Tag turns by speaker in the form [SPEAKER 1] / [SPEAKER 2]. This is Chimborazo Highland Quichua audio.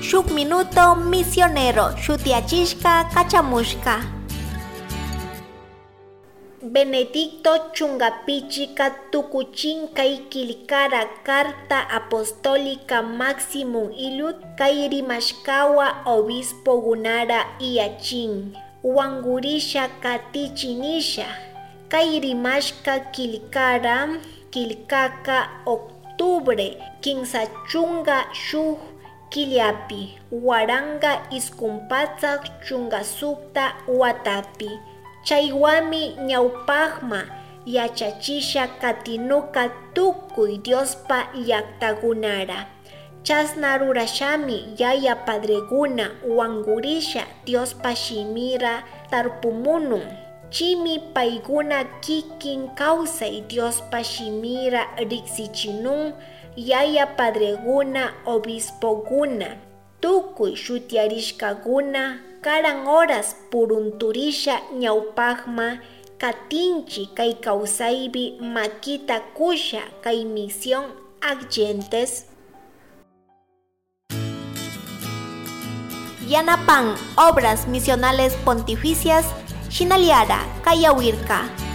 [SPEAKER 1] Shuk Minuto Misionero shutiyachishka kachamushka. Benedicto chungapichika tukuchin kay killkara Carta Apostólica Maximum Illud kay rimashkawa obispogunara iyachin wangurisha katichinisha kay rimashka killkara killkaka octubre 31 killapi 1996 watapi. Chaywami ñawpaqma yachachisha katinuka tukuy Diospa llaqtakunara. Chasna rurashami yaya padreguna wangurisha Diospa shimira tarpumunun. Chimi payguna kikin kawsay Diospa shimira riksichinun yaya padreguna obispoguna. Tukuy shutiarishkakuna karan horas purunturisha ñawpaqma katinchi kay kawsaypi makita kusha kay misión Ad Gentes. Yanapan Obras Misionales Pontificias Shinaliara Kayawirka.